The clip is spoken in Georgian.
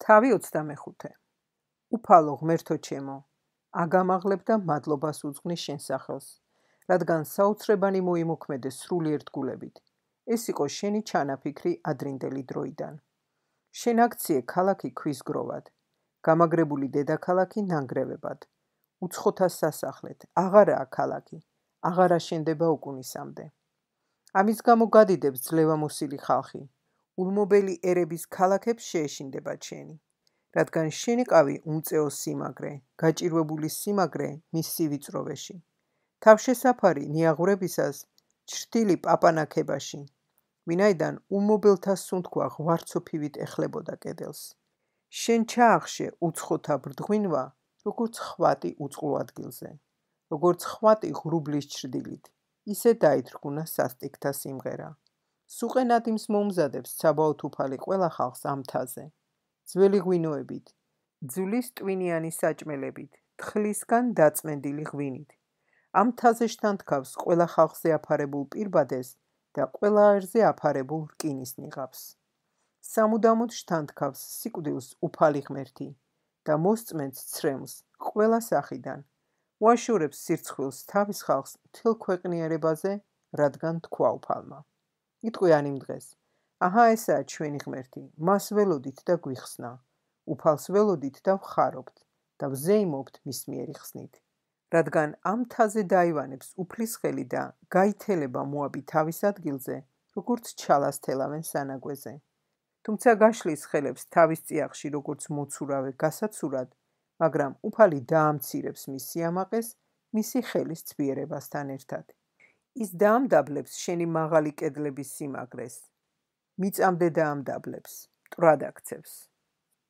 თავი 25. უფალო ღმერთო ჩემო, აგამაღლებ და მადლობას უძღვნის შენ სახელს, რადგან საოცრებანი მოიმოქმედე სრული ერთგულებით. ეს იყო შენი ჩანაფიქრი ადრინდელი დროიდან. შენ აქციე ქალაქი ქვის გროვად, გამაგრებული დედაქალაქი ნანგრევებად, უცხოთა სასახლეთ, აღარაა ქალაქი, აღარა შენდება უკუნისამდე. ამის გამო გადიდებს ძლევამოსილი ხალხი, ულმობელი ერების ქალაქებს შეეშინდება შენი, რადგან შენი ყავი უმწეო სიმაგრე, გაჭირვებული სიმაგრე მის სივიწროვეში. თავშესაფარი ნიაღვრებისას ჩრდილი პაპანაქებაში, ვინაიდან ულმობელთა სუნთქვა ღვარცოფივით ეხლებოდა კედელს. შენ ჩაახშე უცხოთა ბრდღვინვა, როგორც ხვატი უწყლო ადგილზე, როგორც ხვატი ღრუბლის ჩრდილით, ისე დაითრგუნა სასტიკთა სიმღერა. სუყენადიმს მომზადებს საბაოთ უფალი ყველა ხალხს ამ მთაზე. ძველი ღვინოებით, ძვლის ტვინიანი საჭმელებით, თხლისგან დაწმენდილი ღვინით. ამ მთაზე შთანთქავს ყველა ხალხზე აფარებულ პირბადეს და ყველა აირზე აფარებულ რკინის ნიღაბს. სამუდამოდ შთანთქავს სიკვდილს უფალი ღმერთი და მოსწმენს ცრემლს ყველა სახიდან. უაშორებს სირცხვილს თავის ხალხს მთელ ქვეყნიერებაზე, რადგან თქვა უფალმა. იტყვიან იმ დღეს, აჰა ესაა ჩვენი ღმერთი, მას ველოდით და გვიხსნა, უფალს ველოდით და ვხარობთ და ვზეიმობთ მის მიერი ხსნით. რადგან ამ მთაზე დაივანებს უფლის ხელი და გაითელება მოაბი თავის ადგილზე, როგორც ჩალას თელავენ სანაგვეზე. თუმცა გაშლის ხელებს თავის წიაღში როგორც მოცურავე გასაცურად, მაგრამ უფალი დაამცირებს მის სიამაყეს მისი ხელის ცვიერებასთან ერთად. ის დაამდაბლებს შენი მაღალი კედლების სიმაგრეს, მიწამდე დაამდაბლებს, მტრად აქცევს.